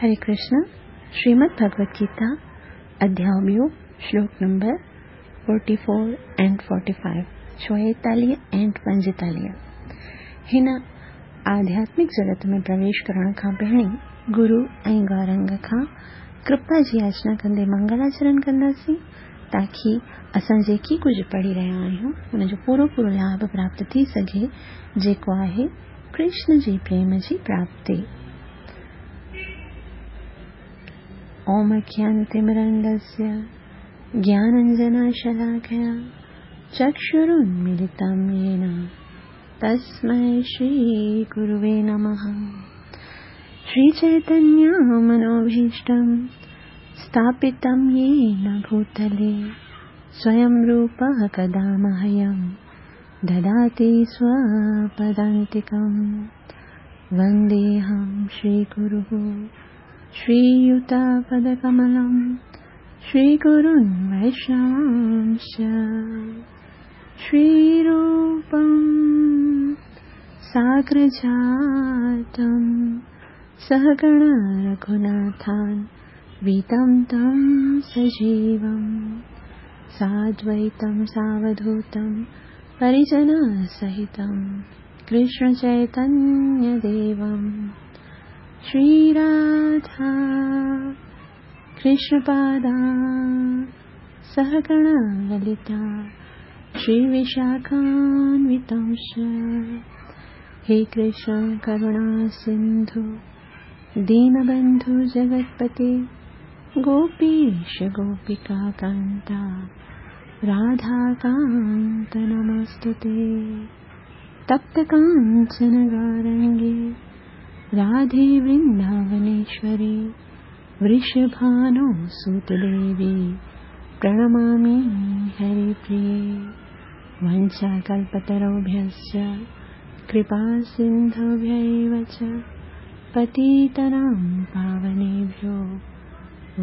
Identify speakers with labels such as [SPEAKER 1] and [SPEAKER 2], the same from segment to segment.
[SPEAKER 1] هري ڪرشن شريمد ڀڳوت گيتا اڌياء ٻيو شلوڪ number 44 and 45 44 ۽ 45 هن آڌياتمڪ جڳت ۾ پرويش ڪرڻ کان پهرين گرو ۽ گورنگ کان ڪرپا جي ياچنا ڪندي منگلاچرن ڪنداسين تاڪي اسان جيڪي ڪجهه پڙهي رهيا آهيون ان جو پورو پورو لاڀ پراپت ٿي سگهي جيڪو آهي ڪرشن جي پريم جي پراپتي. اوم اجنانتمرندस्य ज्ञानाञ्जनशलाकया चक्षुरुन्मीलितं येन तस्मै श्रीगुरुवे नमः। श्रीचैतन्यमनोभीष्टं स्थापितं येन भूतले स्वयं रूपः कदा मह्यं ददाति स्वपदान्तिकं। वन्देऽहं श्रीगुरुः श्रीयुतपदकमलं श्रीगुरुन् वैष्णवांश्च श्रीरूपं साग्रजातं सहगण रघुनाथान् वीतं तं सजीवं साद्वैतं सावधूतं परिजनसहितं कृष्णचैतन्यदेवं श्रीराधा कृष्णपादा सहगण ललिता श्रीविशाखान्वितांश्च। हे कृष्ण करुणा सिन्धु दीनबन्धु जगत्पते गोपीश गोपिका कान्ता राधाकान्त नमस्तुते। तप्त काञ्चन गौरङ्गे राधे वृन्दावनेश्वरी वृषभानुसुतदेवी प्रणमामि हरिप्रिये। वञ्चाकल्पतरुभ्यश्च कृपासिन्धुभ्यैव च पतितानां पावनेभ्यो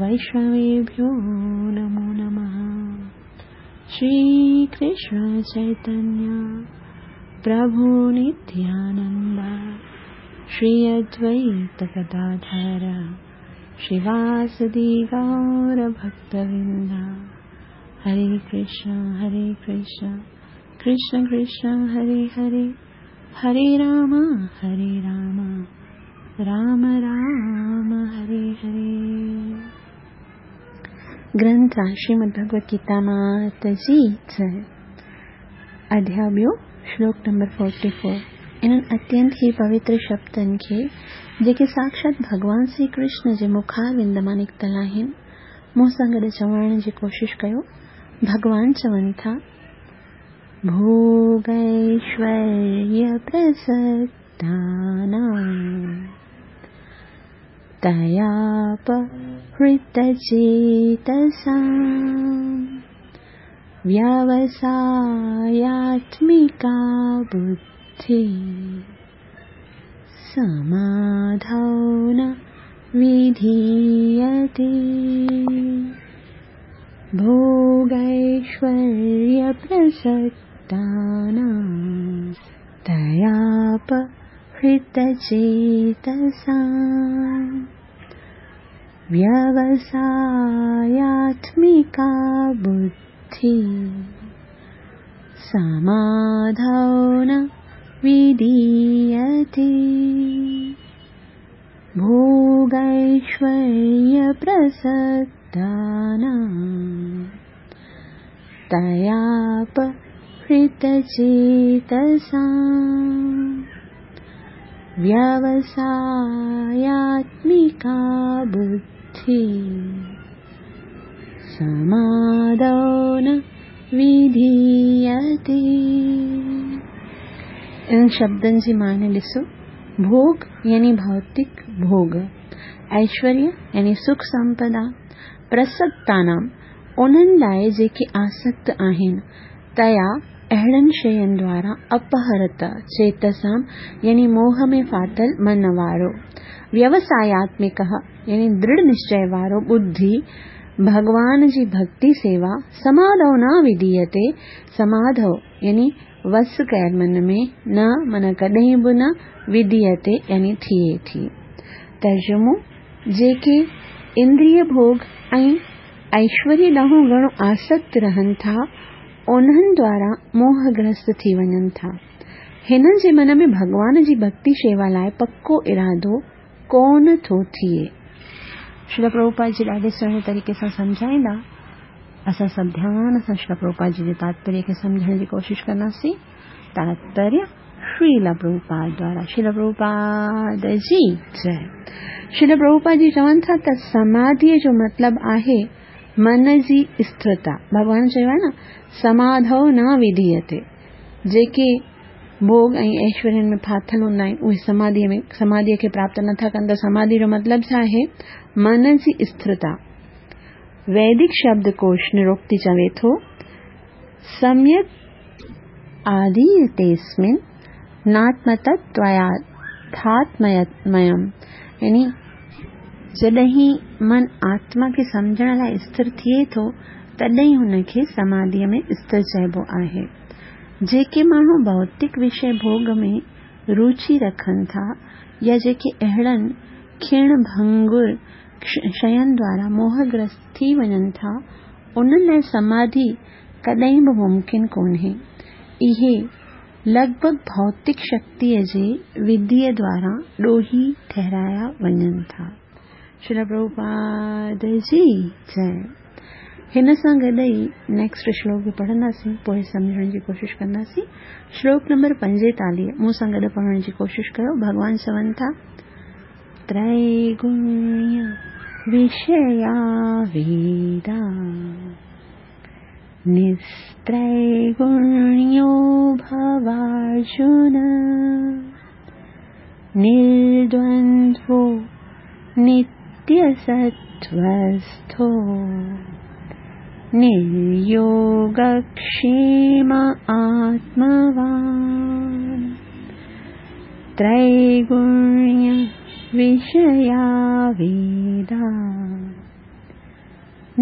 [SPEAKER 1] वैष्णवेभ्यो नमो नमः। श्रीकृष्ण चैतन्य प्रभु नित्यानन्द श्री अद्वैत गदाधर श्रीवासदि गौर भक्तवृन्द। हरे कृष्ण कृष्ण कृष्ण हरे हरे, हरे राम राम राम हरे हरे। ग्रंथ श्रीमद् भगवत गीता मात जी जय। अध्याय ॿियो श्लोक नंबर 44। इन्हनि अत्यंत ई पवित्र शब्दनि खे जेके साक्षात भॻवान श्री कृष्ण जे मुखारविंद मां निकितल आहिनि, मूं सां गॾु चवण जी कोशिश कयो। भॻवान चवनि था, भोगैश्वर्य प्रसक्तानां तयापहृतचेतसां व्यवसायात्मिका बुद्धिः समाधौ न विधीयते। भोगैश्वर्यप्रसक्तानां तयापहृतचेतसां व्यवसायात्मिका बुद्धिः समाधौ न विधीयते। भोगैश्वर्यप्रसक्तानां तयापहृतचेतसां व्यवसायात्मिका बुद्धिः समाधौ न विधीयते। इन्हनि शब्दनि जी माने ॾिसो। भोग यानी भौतिक भोग, ऐश्वर्य यानी सुख संपदा, प्रसक्तानां उन्हनि लाइ जेके आसक्त आहिनि, तया अहिड़नि शयुनि द्वारा अपहृत चेतसां यानी मोह में फाथल मन वारो, व्यवसायात्मिकः यानी दृढ़ निश्चय वारो बुद्धि, भॻवान जी भक्ति सेवा समाधौ न विधीयते। समाधौ यानी वस कयल मन में न माना कॾहिं बि न विधीयते यानी थिए थी। तर्जुमो جيڪي اندريه ڀوڳ ۽ ايشوريه ڏانهن گهڻو آسڪت رهن ٿا، انهن دواران موهگرست ٿي وڃن ٿا. هنن جي من ۾ ڀڳوان جي ڀڳتي شيوا لاء پڪو ارادو ڪونه ٿو ٿئي. شريل پرڀوپاد جي ڏاڍي سهڻي طريقي سان سمجهائيندا. اسان سڀ ڌيان سان شريل پرڀوپاد جي جي تاتپريه کي سمجهڻ جي ڪوشش ڪنداسين. تاتپريه شريل پرڀوپاد دوارا شريل پرڀوپاد جي جئي. شريل پرڀوپاد جي چون ٿا ته سماڌيء جو مطلب آهي من جي اسٿرتا. ڀڳوان چيو آهي نه سماڌو نه وڌيئتي. جيڪي ڀوڳ ۽ ايشورين ۾ ڦاٿل هوندا آهن اهي سماڌيء ۾ سماڌيء کي پراپت نٿا ڪن ته سماڌي جو مطلب ڇا آهي؟ من جي اسٿرتا. ويدڪ شبد ڪوش نروڪتي چوي ٿو، سميڪ آڌيئتيسمن ناتمتتوياٿاتميم يعني جڏهن من آتما کي سمجهڻ لاء اسٿر ٿئي ٿو تڏهن هن کي سماڌيء ۾ اسٿر چئبو آهي. جيڪي ماڻهو ڀوتڪ وشيه ڀوڳ ۾ روچي رکن ٿا يا جيڪي اهڙن کيڻ ڀنگر شين دوارا موهگرست ٿي وڃن ٿا، انهن لاء سماڌي ڪڏهن به ممڪن ڪونهي. اهي لڳ ڀڳ ڀوتڪ شڪتيء جي وڌيء دوارا ڏوهي ٺهرايا وڃن ٿا. شريل پرڀوپاد جي جئي. هن سان گڏ ئي نيڪسٽ شلوڪ به پڙهنداسين پوء سمجهڻ جي ڪوشش ڪنداسين. شلوڪ نمبر 45 مون سان گڏ پڙهڻ جي ڪوشش ڪيو. ڀڳوان چون ٿا، تريگڻيه وشيا ويدا نستريگڻيو ڀوارجن نردوندوو نتيسٿوسٿو نريوگڪشيم آتموان تريگڻيه وشيا ويدا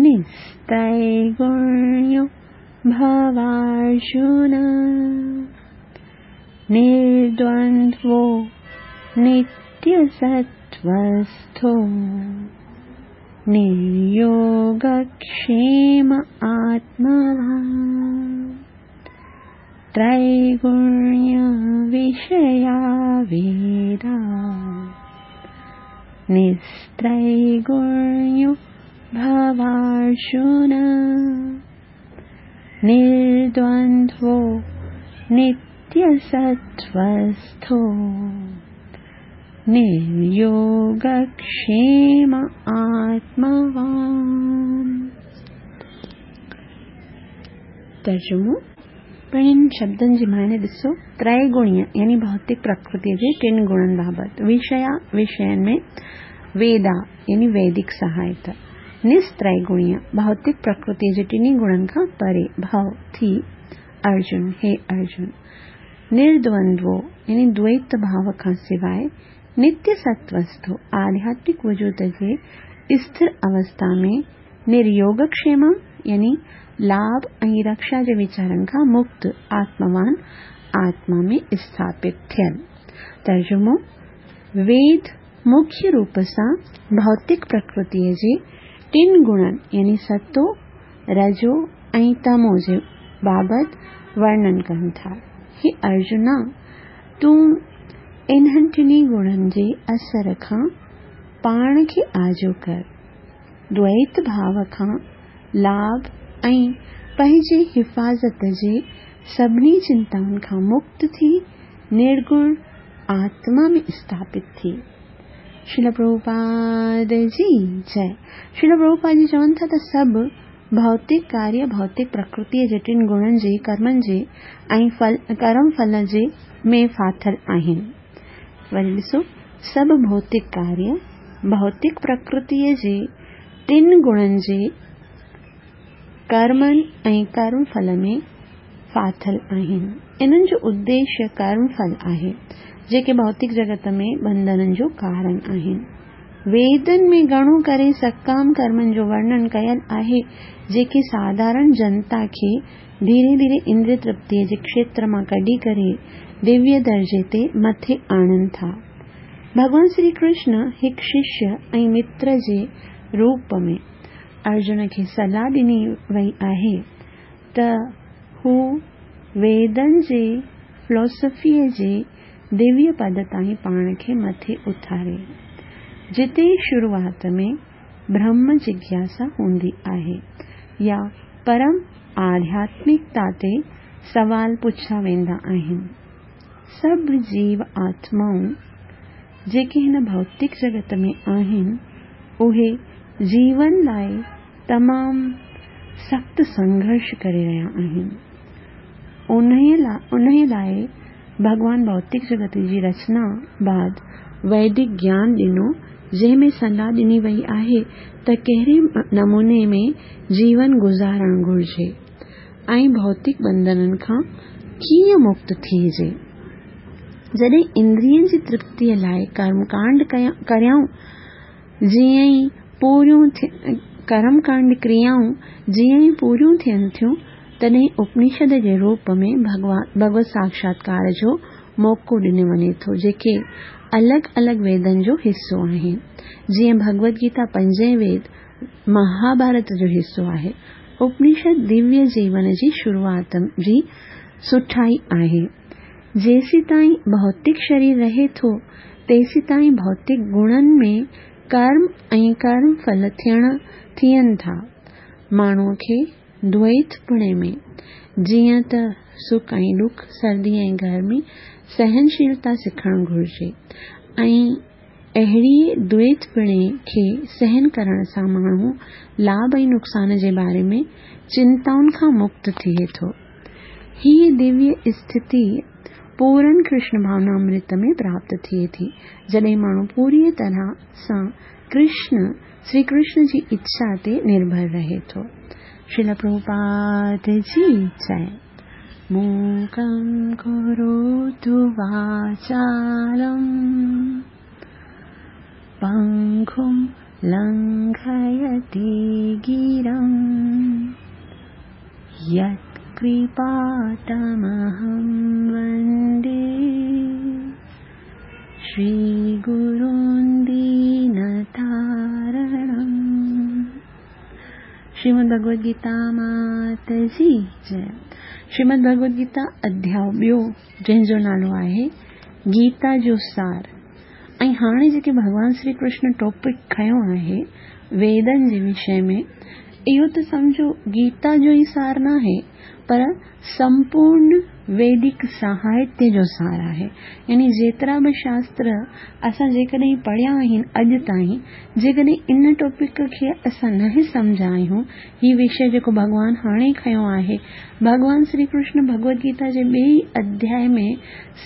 [SPEAKER 1] نستريگڻيو ڀوارجن نردوندوو نتيسٿوسٿو نريوگڪشيم آتموان تريگڻيه وشيا ويدا نستريگڻيو ڀوارجن نردوندوو نتيسٿوسٿو نريوگڪشيم آتموان. ترجمو، پڻ شبدن جي معني ڏسو، تريگڻيه يعني ڀوتڪ پرڪرتيء جي ٽن گڻن بابت، وشيا وشين ۾، ويدا يعني ويدڪ سهائت، نستريگڻيه ڀوتڪ پرڪرتيء جي ٽنهي گڻن کان پري، ڀو، ٿي، ارجن، هي ارجن! نردوندوو يعني دويت ڀاو کان سواء نتيه ستوسٿو آڌياتمڪ وجود جي اسٿر اوسٿا ۾ نريوگڪشيم يعني لاڀ ۽ رڪشا جي ويچارن کان مڪت آتموان آتما ۾ اسٿاپت ٿيل. ترجمو، ويد مکيه روپ سان ڀوتڪ پرڪرتيء جي ٽن گڻن يعني ستو، رجو ۽ تمو جي بابت ورڻن ڪن ٿا. هي ارجنا! تون انهن ٽنهي گڻن جي اثر کان پاڻ کي آجو ڪر. دويت ڀاو کان لاڀ ۽ پنهنجي حفاظت جي سڀني چنتائن کان مڪت ٿي نرگڻ آتما ۾ اسٿاپت ٿي. شريل پرڀوپاد جي جئي. شريل پرڀوپاد جي چون ٿا ته سڀ ڀوتڪ ڪاريه ڀوتڪ پرڪرتيء جي ٽن گڻن جي ڪرمن جي ۽ ڦل ڪرم ڦل جي ۾ ڦاٿل آهن. وري ڏسو سڀ ڀوتڪ ڪاريه ڀوتڪ پرڪرتيء جي ٽن گڻن جي ڪرمن ۽ ڪرم ڦل ۾ ڦاٿل آهن. انهن جو اديشيه ڪرم ڦل آهي، جيڪي ڀوتڪ جڳت ۾ ٻنڌنن جو ڪارڻ آهن. ويدن ۾ گهڻو ڪري سڪام ڪرمن جو ورڻن ڪيل آهي، جيڪي ساڌارڻ جنتا کي ڌيري ڌيري اندريه ترپتيء جي کشيتر مان ڪڍي ڪري دويه درجي تي مٿي آڻن ٿا. ڀڳوان شري ڪرشن هڪ ششيه ۽ متر جي روپ ۾ ارجن کي صلاح ڏني وئي آهي ته هو ويدن جي فلسفيء جي دويه پد تائين پاڻ کي مٿي اٿاري، جتي شروعات ۾ برهم جگياسا هوندي آهي يا پرم آڌياتمڪتا تي سوال پڇيا ويندا آهن. سڀ جيو آتمائون جيڪي هن ڀوتڪ جڳت ۾ آهن، اهي جيون لاء تمام سخت سنگهرش ڪري رهيا آهن. انهيء لاء ڀڳوان ڀوتڪ جڳت جي رچنا بعد ويدڪ گيان ڏنو، جنهن ۾ صلاح ڏني وئي آهي ته ڪهڙي نموني ۾ جيون گذارڻ گهرجي. ۽ ڀوتڪ ٻنڌنن کان ڪيئن مڪت ٿيجي؟ جڏهن اندرين جي ترپتيء لاء ڪرمڪانڊ ڪريائون جيئن ئي پوريون ڪرمڪانڊ ڪريائون جيئن ئي پوريون ٿين ٿيون، تڏهن اپنشد جي روپ ۾ ڀڳوت ساڪشاتڪار جو موقعو ڏنو وڃي ٿو، جيڪي الڳ الڳ ويدن جو حصو آهن. جيئن ڀڳوت گيتا پنجين ويد مهاڀارت جو حصو آهي. اپنشد دويه جيون جي شروعات جي سٺائي آهي. جيسيتائين ڀوتڪ شرير رهي ٿو، تيسيتائين ڀوتڪ گڻن ۾ ڪرم ۽ ڪرم ڦل ٿيڻ ٿين ٿا. ماڻهوء کي دويتپڻي ۾، جيئن ته سک ۽ ڏک، سردي ۽ گرمي، سهنشيلتا سکڻ گهرجي ۽ اهڙيء دويتپڻي کي سهن ڪرڻ سان ماڻهو لاڀ ۽ نقصان جي باري ۾ چنتائن کان مڪت ٿئي ٿو. هيء دويه اسٿتي پورن ڪرشن ڀاونامرت ۾ پراپت ٿئي ٿي، جڏهن ماڻهو پوريء طرح سان ڪرشن، شري ڪرشن جي اڇا تي نرڀر رهي ٿو. شريل پرڀوپاد جي جئه. موڪم ڪروتو واچالم پنگم لنگهيتي گرم يت ڪرپا تمهم وندي شري گرون دين تارڻم. شريمد ڀڳوت گيتا مات جي جئه. شريمد ڀڳوت گيتا اڌياء ٻيو جنهن جو نالو آهي گيتا جو سار ۽ هاڻي جيڪي ڀڳوان شري ڪرشن ٽاپڪ کنيو آهي ويدن جي وشي ۾ اهو ته سمجهو گيتا جو ئي سار ناهي پر سمپورن ويدڪ ساهتيه جو سار آهي. يعني جيترا به شاستر اسان جيڪڏهن پڙهيا آهن اڄ تائين، جيڪڏهن ان ٽاپڪ کي اسان نه سمجهيا آهيون، هي وشيه جيڪو ڀڳوان هاڻي کنيو آهي، ڀڳوان شري ڪرشن ڀڳوت گيتا جي ٻئي اڌياء ۾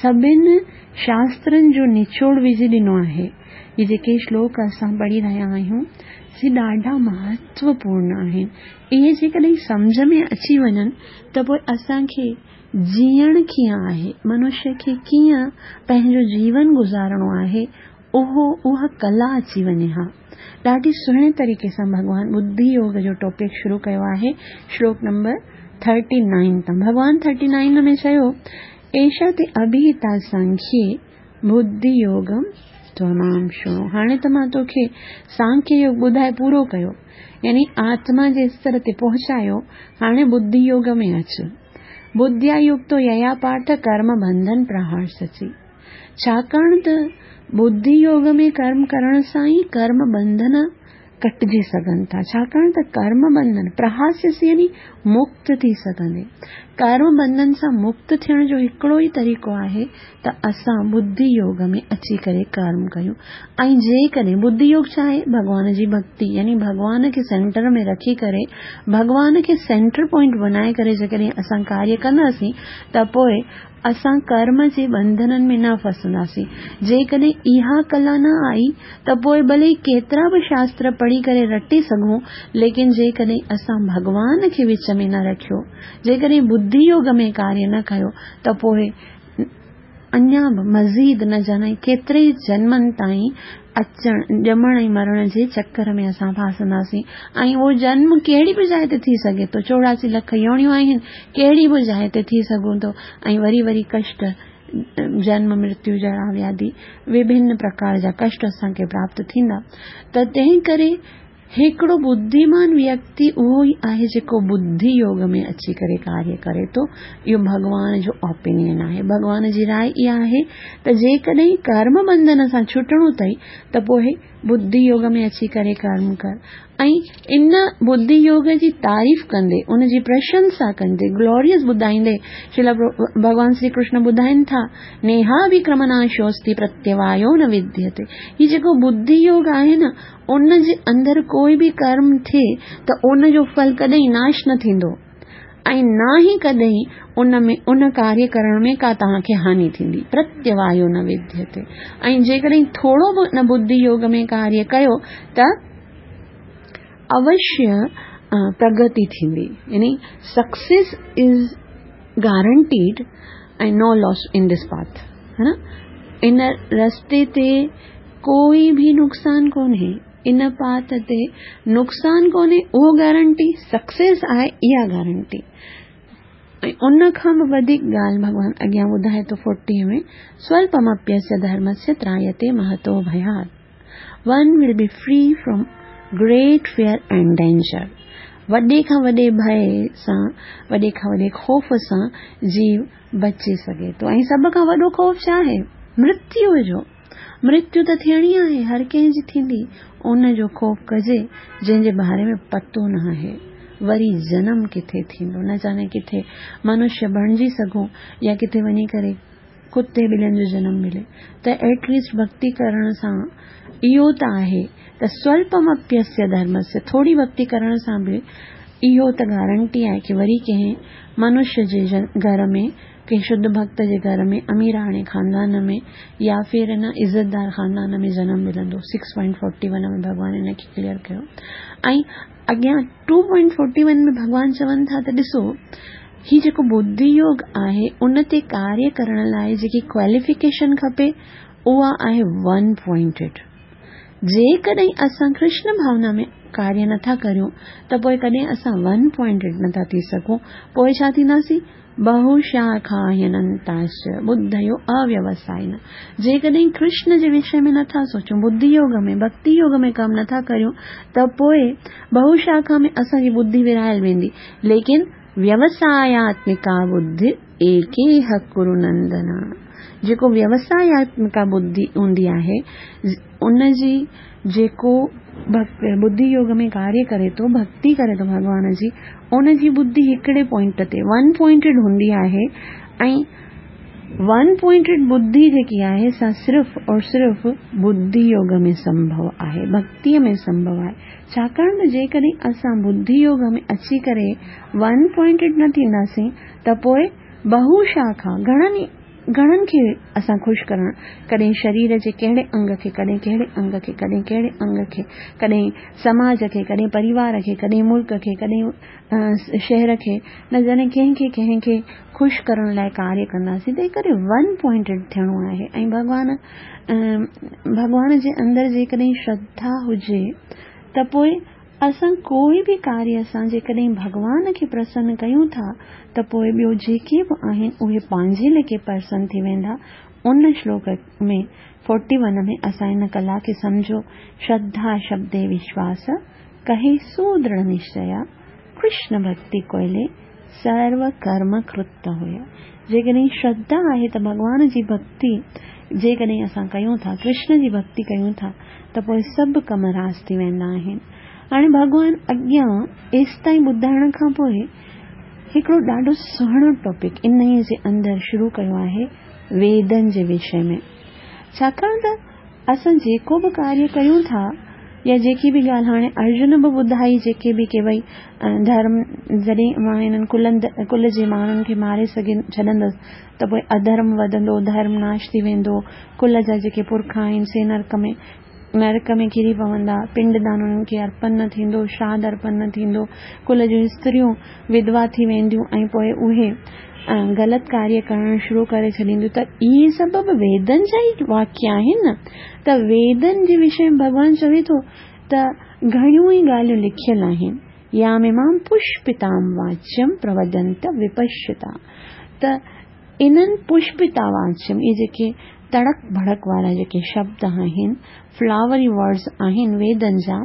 [SPEAKER 1] سڀن شاسترن جو نچوڙ وجهي ڏنو آهي. هي جيڪي شلوڪ اسان پڙهي رهيا آهيون، سي ڏاڍا مهتوپورن آهن. اهي جيڪڏهن سمجهه ۾ اچي وڃن ته پوء اسان کي جيئڻ ڪيئن آهي، منشيه کي ڪيئن پنهنجو جيون گذارڻو آهي، اهو اها ڪلا اچي وڃي ها. ڏاڍي سهڻي طريقي سان ڀڳوان ٻڌي يوگ جو ٽاپڪ شروع ڪيو آهي شلوڪ نمبر ٿرٽي نائين تان. ڀڳوان ٿرٽي نائين ۾ چيو، ايشا تي اڀيتا سانکيي ٻڌي يوگم تمام شڻو. هاڻي ته مان توکي سانکيه يوگ ٻڌائي پورو ڪيو، يعني آتما جي استر تي پهچايو، هاڻي ٻڌي يوگ ۾ اچ. ٻڌيا يڪتو ييا پارٿ ڪرم بنڌن پرهارسسي. ڇاڪاڻ ته ٻڌي يوگ ۾ ڪرم ڪرڻ سان ئي ڪرم بنڌن ڪٽجي سگهن ٿا، ڇاڪاڻ ته ڪرم بنڌن، پرهاسيس يعني مڪت ٿي سگهندي. ڪرم بنڌن سان مڪت ٿيڻ جو هڪڙو ئي طريقو آهي ته اسان ٻڌي يوگ ۾ اچي ڪري ڪرم ڪيون ۽ جيڪڏهن ٻڌي يوگ ڇا آهي؟ ڀڳوان جي ڀڳتي يعني ڀڳوان کي سينٽر ۾ رکي ڪري ڀڳوان کي سينٽر پوائنٽ بنائي ڪري جيڪڏهن اسان ڪاريه ڪنداسين ته پوء اسان ڪرم جي ٻنڌنن ۾ نه ڦسنداسين. جيڪڏهن اها ڪلا نه آئي ته پوء ڀلي ڪيترا به شاستر پڙهي ڪري رٽي سگهون، ليڪن جيڪڏهن اسان ڀڳوان کي وچ ۾ نه رکيو، جيڪڏهن ٻڌي يوگ ۾ ڪاريه نه ڪيو ته پوء اڃا به مزيد نه ڄاڻي ڪيتري ئي جنمن تائين اچڻ، ڄمڻ ۽ مرڻ جي چڪر ۾ اسان ڦاسنداسين ۽ اهو جنم ڪهڙي به جاء تي ٿي سگهي ٿو، 84 لک يوڻيون آهن، ڪهڙي به جاء تي ٿي سگهون ٿو ۽ وري وري ڪشٽ جنم مرتيو جرا وياڌي وڀن پرڪار جا ڪشٽ اسان کي پراپت ٿيندا. ته تنهن ڪري هڪڙو ٻڌيمان ويڪتي اهو ئي آهي جيڪو ٻڌي يوگ ۾ اچي ڪري ڪاريه ڪري ٿو. اهو ڀڳوان جو اوپينين آهي. ڀڳوان جي راء اها آهي ته جيڪڏهن ڪرم بنڌن سان ڇٽڻو اٿئي ته پوء ٻڌي يوگ ۾ اچي ڪري ڪرم ڪر. ۽ ان ٻڌي يوگ جي تعريف ڪندي، ان جي پرشنسا ڪندي، گلوريس ٻڌائيندي، شريلا ڀڳوان شري ڪرشن ٻڌائين ٿا، نيهاوڪرمناشوستي پرتيوايو نه وديتي. هي جيڪو ٻڌي يوگ آهي نه، ان جي اندر ڪوئي به ڪرم ٿئي ته ان جو ڦل ڪڏهن ناش نه ٿيندو ۽ نه ئي ڪڏهن ان ۾ ان ڪاريه ڪرڻ ۾ ڪا توهان کي هاني ٿيندي، پرتيوايو نه وديتي. ۽ جيڪڏهن ٿورو به ان ٻڌي يوگ ۾ ڪاريه ڪيو ته اوشيه پرگتي ٿيندي، يعني success is guaranteed ۽ no loss in this path, ها نه؟ ان رستي تي ڪوئي به نقصان ڪونهي، ان پاٿ تي نقصان ڪونهي اهو گارنٽي، سڪسيس آهي اها گارنٽي. ۽ ان کان به وڌيڪ ڳالهه ڀڳوان اڳيان ٻڌائي ٿو 40 ۾، سولپمپيسيا ڌرمسيا ترايتي مهتو ڀيات. One will be free from great fear and danger. وڏي کان وڏي ڀئي سان، وڏي کان وڏي خوف سان جيو بچي سگهي ٿو. ۽ سڀ کان وڏو خوف ڇا آهي؟ مرتيو جو. مرتيو ته ٿيڻي آهي، هر ڪنهن جي ٿيندي. ان جو خوف ڪجي جنهن جي باري ۾ پتو نه آهي. وري جنم ڪٿي ٿيندو، نه جاني ڪٿي منشيه بڻجي سگهون يا ڪٿي وڃي ڪري ڪتي ٻلين جو جنم ملي ته ايٽ ليسٽ ڀڳتي ڪرڻ سان اهو ته آهي ته سولپمپيسيا ڌرمسيا ٿوري ڀڳتي ڪرڻ سان به اهو ته گارنٽي آهي ڪي وري ڪنهن منشيه جي گهر ۾ ڪنهن شڌ ڀڳت جي گهر ۾ اميراڻي خاندان ۾ يا ڦر ان عزتدار خاندان ۾ جنم ملندو. سڪس پوائنٽ فورٽي ون ۾ ڀڳوان ان کي ڪليئر ڪيو ۽ اڳيان ٽو پوائنٽ فورٽي ون ۾ ڀڳوان چون ٿا ته ڏسو هي جيڪو ٻڌي يوگ آهي ان تي ڪاريه ڪرڻ لاء جيڪي ڪواليفڪيشن کپي اها آهي ون پوائنٽيڊ. جيڪڏهن اسان ڪرشن ڀاونا ۾ ڪاريه نٿا ڪريون ته پوء ڪڏهن اسان ون پوائنٽيڊ نٿا ٿي سگهون. پوء ڇا ٿينداسين؟ بهوشاکاهيننتاش ٻڌيو اويوسائن. جيڪڏهن ڪرشن جي وشي ۾ نٿا سوچون، ٻڌي يوگ ۾، ڀڳتي يوگ ۾ ڪم نٿا ڪريون ته پوء بهوشاکا ۾ اسان جي ٻڌي ورهايل ويندي. ليڪن ويوساياتمڪا ٻڌ ايڪيهه ڪرو نندن. جيڪو ويوساياتمڪا ٻڌي هوندي آهي، ان جي جيڪو ٻڌي يوگ ۾ ڪاريه ڪري ٿو، ڀڳتي ڪري ٿو ڀڳوان جي، ان جي ٻڌي هڪڙي پوائنٽ تي، ون پوائنٽيڊ هوندي آهي ۽ ون پوائنٽيڊ ٻڌي جيڪي آهي سا صرف اور صرف ٻڌي يوگ ۾ سنڀو آهي، ڀڳتيء ۾ سنڀو آهي. ڇاڪاڻ ته جيڪڏهن اسان ٻڌي يوگ ۾ اچي ڪري ون پوائنٽيڊ نه ٿينداسين ته پوء بهو شاکا، گهڻن ئي، گهڻن کي اسان خوش ڪرڻ، ڪڏهن شرير جي ڪهڙي انگ کي، ڪڏهن ڪهڙي انگ کي، ڪڏهن ڪهڙي انگ کي، ڪڏهن سماج کي، ڪڏهن پريوار کي، ڪڏهن ملڪ کي، ڪڏهن شهر کي، نه ڄاڻي ڪنهن کي ڪنهن کي خوش ڪرڻ لاء ڪاريه ڪنداسين، تنهن ڪري ون پوائنٽيڊ ٿيڻو آهي ۽ ڀڳوان ڀڳوان جي اندر جيڪڏهن شرڌا هجي ته پوء اسان ڪوئي به ڪاريه سان جيڪڏهن ڀڳوان کي پرسن ڪيون ٿا ته پوء ٻيو جيڪي به آهن اهي پنهنجي ليکي پرسن ٿي ويندا. ان شلوڪ ۾ فورٽي ون ۾ اسان ان ڪلا کي سمجهيو، شرڌا شبدي وشواس، ڪهي سو درڙ نشچيا، ڪرشن ڀڳتي ڪوئلي، سرو ڪرم ڪرت هويا. جيڪڏهن شرڌا آهي ته ڀڳوان جي ڀڳتي جيڪڏهن اسان ڪيون ٿا، ڪرشن جي ڀڳتي ڪيون ٿا ته پوء سڀ ڪم راس ٿي ويندا آهن. هاڻي ڀڳوان اڳيان ايستائين ٻڌائڻ کان پوء هڪڙو ڏاڍو سهڻو ٽاپڪ انهيء جي اندر شروع ڪيو آهي ويدن جي وشي ۾. ڇاڪاڻ ته اسان جيڪو به ڪاريه ڪيون ٿا يا جيڪي به ڳالهه هاڻي ارجن به ٻڌائي جيڪي به ڪي ڀئي ڌرم جڏهن مان هنن ڪلند ڪل جي ماڻهن کي ماري سگهي ڇڏندس ته پوء اڌرم وڌندو ڌرم ناش ٿي ويندو ڪل جا جيڪي پرکا آهن سي نرڪ ۾ نرڪ ۾ ڪري پوندا پنڊ دان انهن کي ارپن نه ٿيندو شراڌ ارپن نه ٿيندو ڪل جون استريون وڌوا ٿي وينديون ۽ پوء اهي غلط ڪاريه ڪرڻ شروع ڪري ڇڏينديون ته اهي سڀ به ويدن جا ئي واڪيه آهن نه ته ويدن جي وشي ۾ ڀڳوان چوي ٿو ته گهڻيون ئي ڳالهيون لکيل آهن ياميمام پشپتام واچيم پروڌنت وپشتا ته. انهن پشپتاواچيم، اهي جيڪي تڙڪ ڀڙڪ وارا جيڪي شبد آهن، فلاوري ورڊز آهن ويدن جا،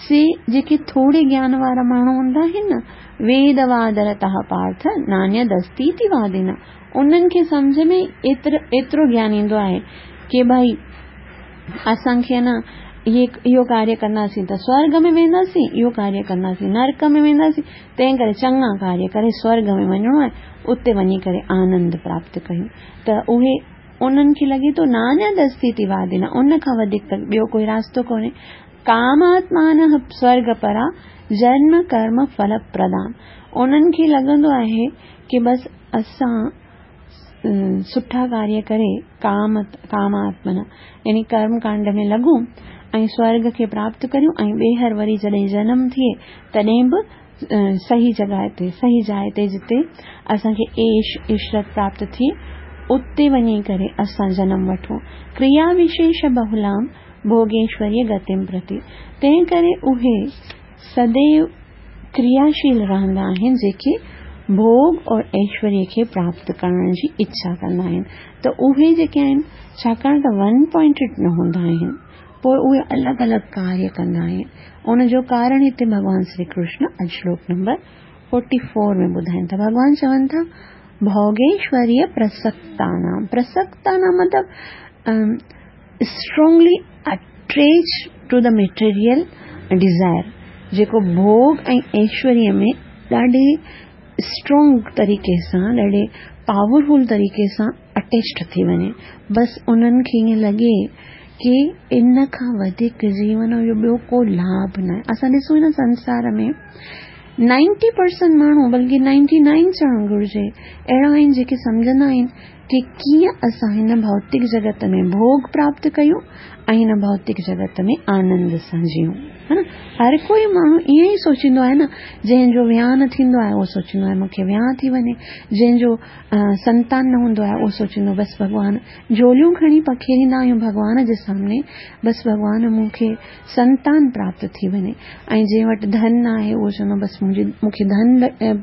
[SPEAKER 1] سي جيڪي ٿوري گيان وارا ماڻهو هوندا آهن نه، ويد وادرتः پارٿ نانيدستيتي وادينا، انهن کي سمجهه ۾ ايترو گيان ايندو آهي ڪي ڀائي اسان کي نه اهو ڪاريه ڪنداسين ته سورڳ ۾ وينداسين، اهو ڪاريه ڪنداسين نرڪ ۾ وينداسين، تنهن ڪري چڱا ڪاريه ڪري سورڳ ۾ وڃڻو آهي، اتي وڃي ڪري آنند پراپت ڪيون ته اهي انهن کي لڳي ٿو نانيدستيتي وادينا، ان کان وڌيڪ ته ٻيو ڪوئي راستو ڪونهي. ڪاماتمانه سورڳ پرا جنم ڪرم ڦل پردان، انهن کي لڳندو آهي ڪي بس اسان سٺا ڪاريه ڪري ڪام ڪاماتمنا يعني ڪرم ڪانڊ ۾ لڳون ۽ سورڳ کي پراپت ڪريون ۽ ٻيهر وري جڏهن جنم ٿئي تڏهن به صحيح جڳهه تي صحيح جاء تي جتي اسان کي عيش عشرت پراپت ٿئي اتي وڃي ڪري اسان جنم وٺون. ڪريا وشيش بهلام ڀوڳيشوري گتيم پرتي، تنهن ڪري اهي سديو ڪرياشيل رهندا آهن جيڪي ڀوڳ اور ايشوريه کي پراپت ڪرڻ جي اڇا ڪندا آهن ته اهي جيڪي آهن ڇاڪاڻ ته ون پوائنٽيڊ نه هوندا آهن پوء اهي الڳ الڳ ڪاريه ڪندا آهن ان جو ڪارڻ هتي ڀڳوان شري ڪرشن اڄ شلوڪ نمبر 44 ۾ ٻڌائين ٿا. ڀڳوان چون ٿا ڀوڳيشوريه پرسڪتانام، پرسڪتانام مطلب strongly attach to the material desire, جيڪو ڀوڳ ۽ ايشوريه ۾ ڏاڍي اسٽرانگ طريقي سان ڏاڍي پاورفل طريقي سان اٽيچڊ ٿي وڃي، بس انهن کي ائين لڳي ڪي ان کان وڌيڪ جيون جو ٻيو ڪو لاڀ ناهي. اسان ڏسون هن سنسار ۾ نائنٽي پرسنٽ ماڻهو بلڪه نائنٽي نائن چوڻ گهرجي اهڙا آهن جيڪي سمجهندا آهن ڪي ڪيئن اسان هن ڀوتڪ جڳت ۾ ڀوڳ پراپت ڪيون ۽ هن ڀوتڪ جڳت ۾ آنند سان جيئون. ها نه، هر ڪوئي ماڻهو ائين ئي سوچيندو آهي نه، جنهن جو ويانهه نه ٿيندو آهي اهو سوچيندو آهي مون کي ويانهه ٿي وڃي، جنهن جو سنتان نه هوندو آهي اهو سوچيندو بس ڀڳوان، جهوليون کڻي پکيڙيندا آهيون ڀڳوان جي سامني، بس ڀڳوان مون کي سنتان پراپت ٿي وڃي ۽ جنهن وٽ ڌن نه آهي اهو چوندو بس منهنجي مون کي ڌن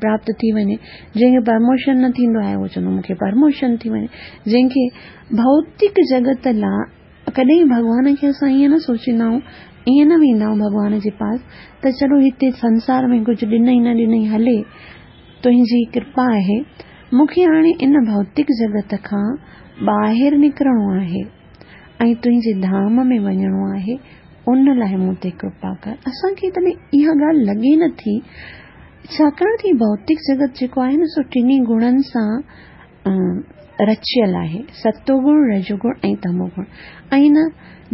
[SPEAKER 1] پراپت ٿي وڃي، جنهن کي پرموشن نه ٿيندو آهي اهو چوندو مون کي پرموشن ٿي وڃي، جنهن کي ڀوتڪ جڳت لا ڪڏهن ڀڳوان کي اسان ائين نه سوچيندا آهيون، ائين نه ويندا آهيون ڀڳوان جي پاس ته چلو هتي سنسار ۾ ڪجهه ڏنئي نه ڏنئي هلي تنهنجي ڪرپا آهي مون کي هاڻي ان ڀوتڪ جڳت کان ٻاهر نڪرڻو آهي. ۽ تنهنجي ڌام ۾ وڃڻو آهي، ان لاء مون تي ڪرپا ڪر. اسان کي تڏهن اها ڳالهه لڳي نه ٿي، ڇاڪاڻ ته هي ڀوتڪ جڳت جيڪو آهي نه سو ٽنهي گڻن سان رچيل آهي، ستو گڻ، رجو گڻ ۽ تمو گڻ. ۽ هن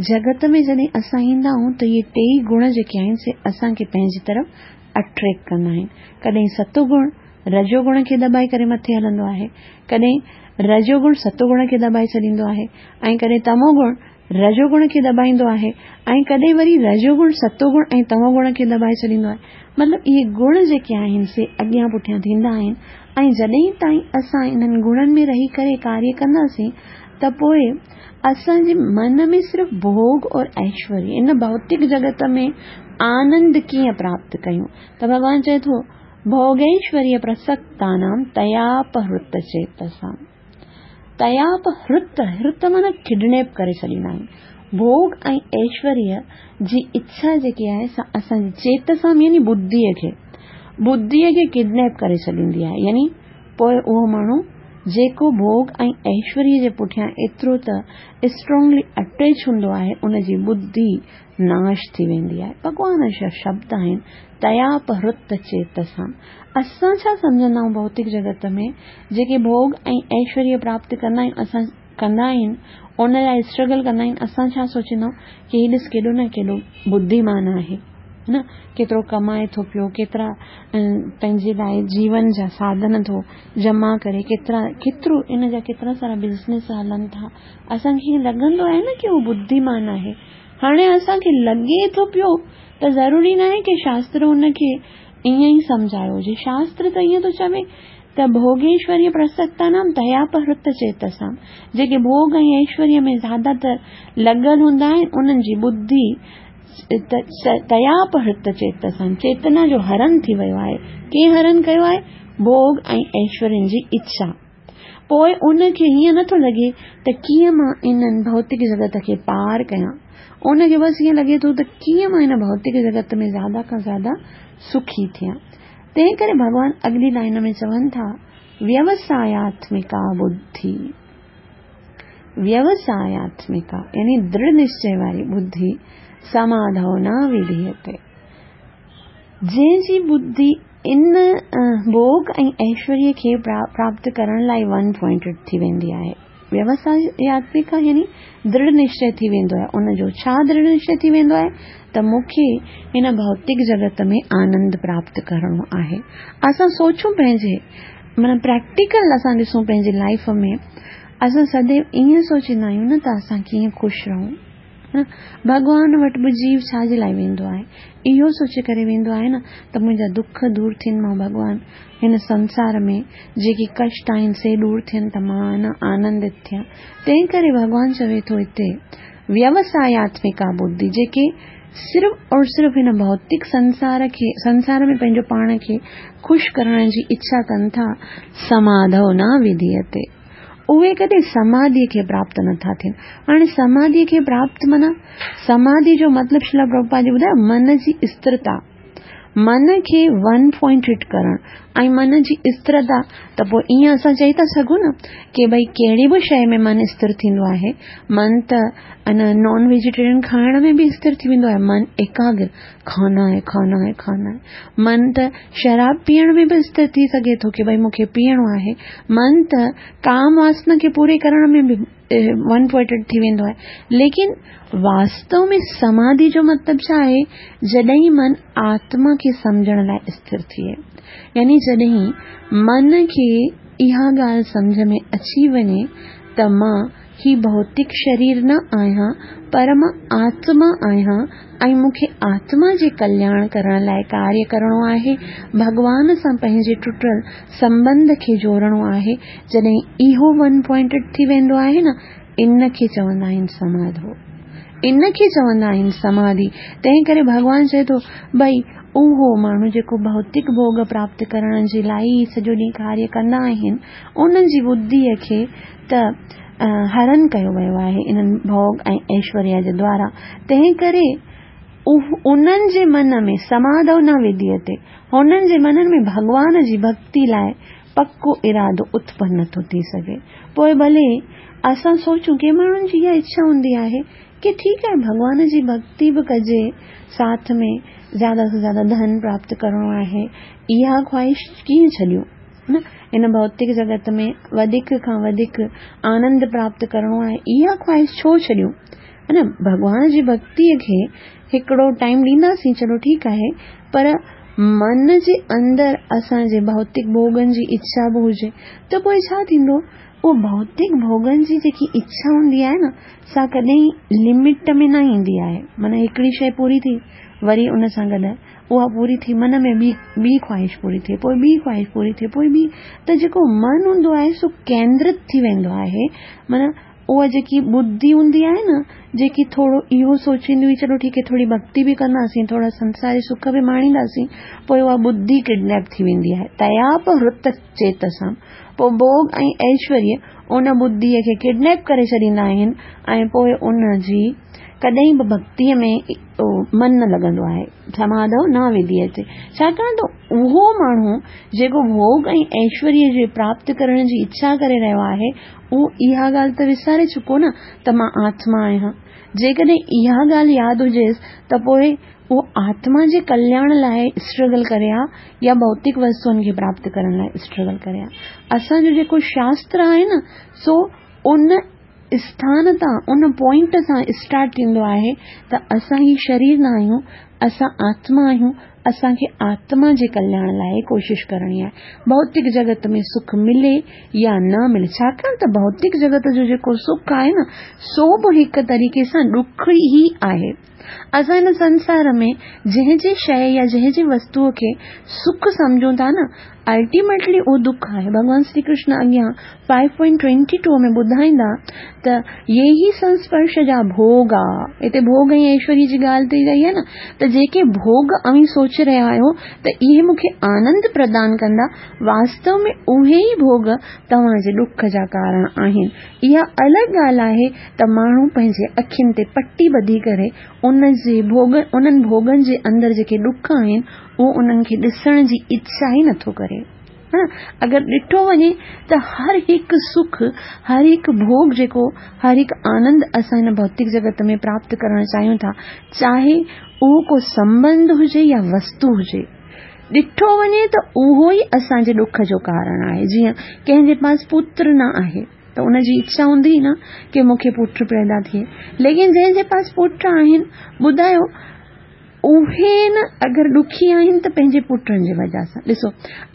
[SPEAKER 1] جڳت ۾ جڏهن اسان ايندا آهيون ته اهي ٽيئي گڻ جيڪي آهن سي اسان کي پنهنجي طرف اٽريڪٽ ڪندا آهن. ڪڏهن ستو گڻ رجو گڻ کي دٻائي ڪري مٿي هلندو آهي، ڪڏهن رجو گڻ ستو گڻ کي دٻائي ڇڏيندو آهي ۽ ڪڏهن تمو گڻ رجو گڻ کي دٻائيندو آهي ۽ ڪڏهن وري رجو گڻ ستو گڻ ۽ تمو گڻ کي دٻائي ڇڏيندو آهي. مطلب اهي گڻ جيڪي آهن سي اڳيان پٺيان ٿيندا آهن ۽ جڏهن تائين اسان انهن گڻن ۾ رهي ڪري ڪاريه ڪنداسين ته پوء اسان جي من ۾ صرف ڀوڳ اور ايشوريه ان ڀوتڪ جڳت ۾ آنند ڪيئن پراپت ڪيون ته ڀڳوان چئي ٿو ڀوڳيشوريه پرسڪتانام تياپهرت چيتسام. تياپهرت، هرت معنيٰ ڪڊنيپ ڪري ڇڏيندا آهن. ڀوڳ ۽ ايشوريه جي اڇا جيڪي آهي سا اسان جي چيتسام يعني ٻڌيء کي، ٻڌيء کي ڪڊنيپ ڪري ڇڏيندي آهي. يعني پوء اهو ماڻهو جيڪو ڀوڳ ۽ ايشوريه جي پٺيان ايترو ته اسٽرانگلي اٽيچ هوندو آهي ان جي ٻڌي ناش ٿي ويندي آهي. ڀڳوان جا شبد آهن تياپهرت چيتسام. اسان ڇا سمجهندا آهيون ڀوتڪ جڳت ۾ جيڪي ڀوڳ ۽ ايشوريه پراپت ڪندا آهيون اسان ڪندا آهن ان لاء اسٽرگل ڪندا آهن اسان ڇا سوچيندا آهيون ڪي هي ڏس ڪيڏو نه ڪيڏو ٻڌيمان آهي نه ڪيترو ڪمائي ٿو پيو ڪيترا پنهنجي لاء جيون جا ساڌن ٿو جمع ڪري ڪيترا ڪيترو ان جا ڪيترا سارا بزنس هلن ٿا اسان کي ائين لڳندو آهي نه ڪي هو ٻڌيمان آهي هاڻي اسان کي لڳي ٿو پيو ته ضروري ناهي ڪي شاستر ان کي ائين ئي سمجهايو هجي. شاستر ته ائين ٿو چوي ته ڀوڳيشوريه پرسڪتانام تياپهرت چيتسام جيڪي ڀوڳ ۽ ايشوريه ۾ زياده تر لڳل هوندا آهن انهن جي ٻڌي تياپهرت چيتسام چيتنا جو هرن ٿي ويو آهي. ڪنهن هرن ڪيو آهي؟ ڀوڳ ۽ ايشورين جي اڇا. پوء ان کي هيئن نٿو لڳي ته ڪيئن مان انهن ڀوتڪ جڳت کي پار ڪيان. ان کي بس ائين لڳي ٿو ته ڪيئن مان هن ڀوتڪ جڳت ۾ زياده کان زياده سکي ٿيان. تنهن ڪري ڀڳوان اڳلي لائن ۾ چون ٿا، ويوساياتمڪا ٻڌي. ويوساياتمڪا يعني درڙ نشچي واري ٻڌي سماڌو نه وڌيتي. جنهن جي ٻڌي ان ڀوڳ ۽ ايشوريه کي پراپت ڪرڻ لاء ون پوائنٽيڊ ٿي ويندي آهي. ويوساياتمڪا يعني درڙ نشچي ٿي ويندو آهي. ان جو ڇا درڙ نشچي ٿي ويندو آهي ته مون کي هن ڀوتڪ جڳت ۾ آنند پراپت ڪرڻو آهي. اسان سوچون پنهنجي معنيٰ پريڪٽيڪل اسان ڏسون پنهنجي لائيف ۾ اسان سديو ائين سوچيندا آهيون نه ته اسان ڪيئن خوش رهون. ڀڳوان وٽ به جيو ڇا جي لاء ويندو آهي؟ اهو سوچي ڪري ويندو آهي نه ته منهنجا دک دور ٿين مان ڀڳوان هن سنسار ۾ جيڪي ڪشٽ آهن سي دور ٿين ته مان آنندت ٿيان. تنهن ڪري ڀڳوان چوي ٿو هتي ويوساياتمڪا ٻڌي جيڪي صرف اور صرف هن ڀوتڪ سنسار کي سنسار ۾ پنهنجو پاڻ کي خوش ڪرڻ جي اڇا ڪن ٿا سماڌو نه وڌيتي. اهي ڪڏهن سماڌيء کي پراپت نه ٿا ٿين. هاڻي سماڌيء کي پراپت معنيٰ سماڌي جو مطلب شريلا پرڀوپاد جي ٻڌايو من جي استرتا، من کي ون پوائنٽيڊ ڪرڻ ۽ من جي استرتا ته پوء ائين اسان چئي ٿا سگهون نه ڪي ڀئي ڪهڙي به شيء ۾ من استر ٿيندو آهي. من ته ان نان ويجيٽيرين کائڻ ۾ به استر ٿي ويندو آهي. من ايڪاگر کانا هي کانا هي کانا هي. من ته شراب پيئڻ ۾ به استر ٿي سگهي ٿو ڪي ڀئي مون کي پيئڻو آهي. من ته ڪام واسنا کي پوري ڪرڻ ۾ به ون پوائنٽيڊ ٿي ويندو آهي. ليڪن واستو ۾ سماڌي جو مطلب ڇا آهي؟ جڏهن من آتما کي سمجهڻ لاء استر ٿئي. يعني جڏهن من کي اها ڳالهه سمجهه ۾ اچي وڃي ته مان هي ڀوتڪ شرير نه آهيان پر مان آتما آهيان ۽ مون کي آتما جي ڪلياڻ ڪرڻ لاء ڪاريه ڪرڻو آهي، ڀڳوان سان پنهنجي ٽٽل سنٻنڌ کي جوڙڻو آهي، جڏهن اهو ون پوائنٽيڊ ٿي ويندو آهي نه، ان کي چوندا آهن سماڌو. ان کي چوندا آهن سماڌي. تنهن ڪري ڀڳوان چئي ٿو، ڀئي اهو ماڻهو جيڪو ڀوتڪ ڀوڳ پراپت ڪرڻ جي لاء ئي سڄو ڏينهن ڪاريه ڪندا آهن، انهن جي ٻڌيء کي ته هرن ڪيو ويو آهي انهن ڀوڳ ۽ ايشوريا جي دوارا، تنهن ڪري انهن جي من ۾ سماڌو نه وديتي، هنن جي منن ۾ ڀڳوان جي ڀڳتي لاء پڪو ارادو اتپن نٿو ٿي سگهي. پوء ڀلي اسان سوچون ڪي ماڻهن جي اها اڇا هوندي آهي ڪي ٺيڪ آهي ڀڳوان جي ڀڳتي به ڪجي ساٿ ۾ زياده سان زياده ڌن پراپت ڪرڻو آهي اها خواهش ڪيئن ڇڏيون. نه هن ڀوتڪ جڳت ۾ وڌيڪ کان وڌيڪ آنند پراپت ڪرڻو آهي اها خواهش ڇو ڇڏيون ها نه ڀڳوان جي ڀڳتيء کي هڪڙو ٽائيم ڏينداسين چلو ٺيڪ آهي پر من جي اندر اسان جي ڀوتڪ ڀوڳن جي اڇا به هجي ته پوء ڇا ٿيندو اهو ڀوتڪ ڀوڳن جي جيڪي اڇا هوندي آهي نه سا ڪڏهن لمٽ ۾ نه ايندي آهي معنيٰ هڪڙي شيء پوري ٿي وري ان سان گڏ اها پوري ٿي من ۾ ٻي ٻي خواهش پوري ٿئي پوء ٻي خواهش پوري ٿئي پوء ٻي ته جيڪو من هوندو آهي سو ڪيندرت ٿي ويندو آهي معنيٰ اها جيڪي ٻڌي هوندي آهي نه جيڪي ٿورو اهو سوچيندي هئي چلو ٺيڪ آهي ٿوري ڀڳتي به ڪنداسين ٿورا سنساري سک به ماڻينداسين پوء اها ٻڌي ڪڊنيپ ٿي ويندي آهي تياپ هرت چيتسام پوء ڀوڳ ۽ ايشوريه ان ٻڌيء کي ڪڊنيپ ڪري ڇڏيندا آهن ۽ پوء ان جي ڪڏهن به ڀڳتيء ۾ من نه لڳندو آهي، سماڌو نه وڌيتي، ڇاڪاڻ ته اهو ماڻهو جيڪو ڀوڳ ۽ ايشوريه جي پراپت ڪرڻ جي اڇا ڪري رهيو آهي، اهو اها ڳالهه ته وساري چڪو نه ته مان آتما آهيان. جيڪڏهن اها ڳالهه ياد هجيس ته پوء اهو آتما جي ڪلياڻ لاء اسٽرگل ڪري ها يا ڀوتڪ وستوئن کي پراپت ڪرڻ لاء اسٽرگل ڪري ها. اسان جو جيڪو شاستر آهي نه سو ان اسٿان تان، ان پوائنٽ سان اسٽارٽ ٿيندو آهي ته اسان هي شرير نه آهيون، اسان آتما آهيون، اسان کي آتما جي ڪلياڻ لاء ڪوشش ڪرڻي آهي. ڀوتڪ جڳت ۾ سک ملي يا نه ملي، ڇاڪاڻ ته ڀوتڪ جڳت جو جيڪو سک آهي نه، سو به هڪ طريقي سان ڏک ئي آهي. اسان هن سنسار ۾ جنهن جي شيء يا جنهن جي وستوء کي سک سمجهون ٿا نه، الٽيميٽلي اهو دک آهي. ڀڳوان شري ڪرشن اڳيان فائيو پوائنٽ ٽوئنٽي ٽو ۾ ٻڌائيندا ته يي هي سنسپرش جا ڀوڳ آ. هتي ڀوڳ ۽ ايشوري جي ڳالهه ٿي رهي آهي نه ته ته جيڪي ڀوڳ اوهين سوچي رهيا آهيو ته اهي مون کي آنند پردان ڪندا، واستو ۾ اهي ئي ڀوڳ توهان جي ڏک جا ڪارڻ آهن. اها الڳ ڳالهه آهي ته ماڻهو پنهنجي اکين تي پٽي ٻڌي ڪري ان جي ڀوڳ انهن ڀوڳن جي اندر جيڪي ڏک آهن اهو انهن کي ڏسڻ جي اڇا ئي نٿو ڪري. اگر ڏٺو وڃي ته هر هڪ سک، هر هڪ ڀوڳ جيڪو هر هڪ آنند اسان هن ڀوتڪ جڳت ۾ پراپت ڪرڻ چاهيون ٿا، چاهي اهو ڪو سنٻنڌ هجي يا وستو هجي، ڏٺو وڃي ته اهو ئي اسان جي ڏک جو ڪارڻ آهي. جيئن ڪنهن جي پاس پتر نه آهي ته ان جي اڇا هوندي نه ڪي مون کي پٽ پيدا ٿئي، ليڪن جنهن جي پاس پٽ آهن، ٻڌايو اهي نه اگر ڏکي آهن ته پنهنجي پٽن جي وجه سان. ڏسو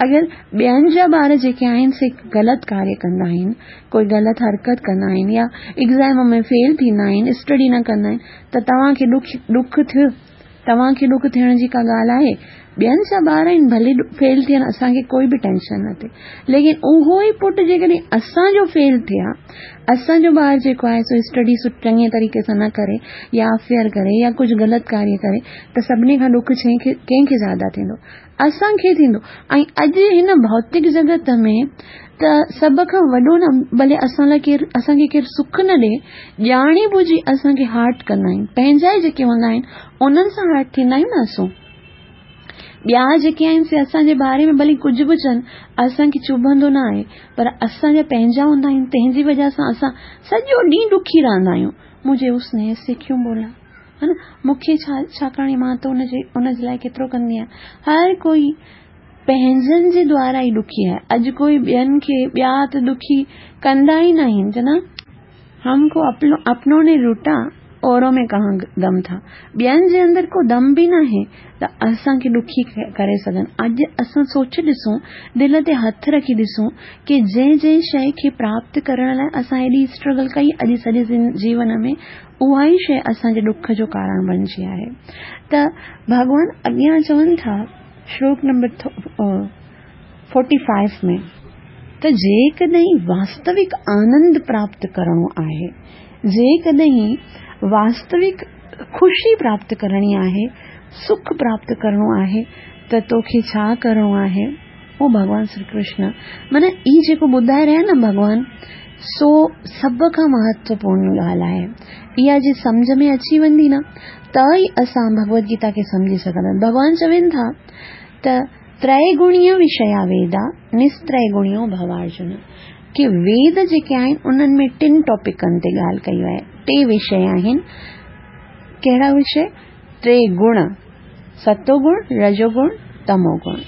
[SPEAKER 1] اگر ٻين جا ٻار جيڪي آهن سي غلط ڪاريه ڪندا آهن، ڪوئي غلط حرڪت ڪندا آهن يا ايگزام ۾ فيل ٿيندا آهن، اسٽڊي نه ڪندا آهن ته توهان کي ڏک ڏک ٿيو؟ توهان کي ڏک ٿيڻ جي ڪا ڳالهه آهي؟ ٻين جا ٻار آهن ڀلي فيل ٿين اسان کي ڪوئي به ٽينشن نه ٿئي، ليڪن اهو ئي پٽ جيڪڏهن اسان جو فيل ٿئي ها، اسان جو ٻار جيڪو آهي سو اسٽڊي چڱي طريقي سان نه ڪري يا افيئر ڪري يا ڪجهه غلط ڪاريه ڪري ته سڀني کان ڏک ڪنهن کي زياده ٿيندو؟ اسان کي ٿيندو. ۽ اڄ هن ڀوتڪ جڳت ۾ ته سڀ کان وڏو نه ڀلي اسان لاء ڪير اسان کي ڪير سک نه ڏي، ڄاڻي ٻجهي اسان کي هارٽ ڪندا آهن، پنهنجا ئي جيڪي هوندا آهن انهن سان هارٽ ٿيندا آهيون نه اسون. ٻيا جيڪي آهن سي اسان جي باري ۾ ڀلي ڪجهه به چون اسان کي چڀندو نه آهي، پر اسان جا پنهنجا هوندا آهن تنهن جي وجهه سان اسان سڄو ڏينهن ڏکي رهندا آهيون، مجهي اس ني ايسي ڪيون بولا، ها نه مون کي ڇا ڇاڪاڻ مان ته ان جي ان جي لاء ڪيترو ڪندي آهيان. هر ڪوئي پنهنجن جي دوارا ئي ڏکي آهي. اڄ ڪوئي ٻين کي ٻيا ته ڏکي ڪندا ئي نه آهن چوندا هم ڪو اپنو ني لوٽا اورو ۾ ڪهان دم ٿا. ٻين جي اندر ڪو دم به ناهي ته اسان کي ڏکي ڪري سگهن. اڄ اسان سوچي ڏسون، دل تي هٿ رکي ڏسون ڪي جنهن جنهن شيء کي پراپت ڪرڻ لاء اسان ايڏي اسٽرگل ڪئي اڄ سڄي جيون ۾ اها ئي شيء اسان جي ڏک جو ڪارڻ بڻجي آهي. ته ڀڳوان اڳيان چون ٿا شلوڪ نمبر 45 ۾. ته جيڪڏهن واستوڪ آنند پراپت ڪرڻو آهي، جيڪڏهن واستوڪ خوشي پراپت ڪرڻي آهي، سک پراپت ڪرڻو آهي ته توکي ڇا ڪرڻو آهي؟ او ڀڳوان شري ڪرشن معنيٰ هي جيڪو ٻڌائي رهيا نه ڀڳوان سو سڀ کان مهتوپورن ڳالهه آهي. اها جي سمجهه ۾ اچي ويندي نه ته ئي اسان ڀڳوت گيتا کي سمجهي سگهنداسين. ڀڳوان چون ٿا ته تريگڻيه وشيا ويدا نستريگڻيو ڀوارجن ڪي ويد جيڪي آهن انهن ۾ ٽن ٽاپڪن تي ڳالهه ڪئي آهي. ٽي وشي آهن. ڪهڙا وشي؟ ٽي گڻ، ستو گڻ، رجو گڻ، تمو گڻ.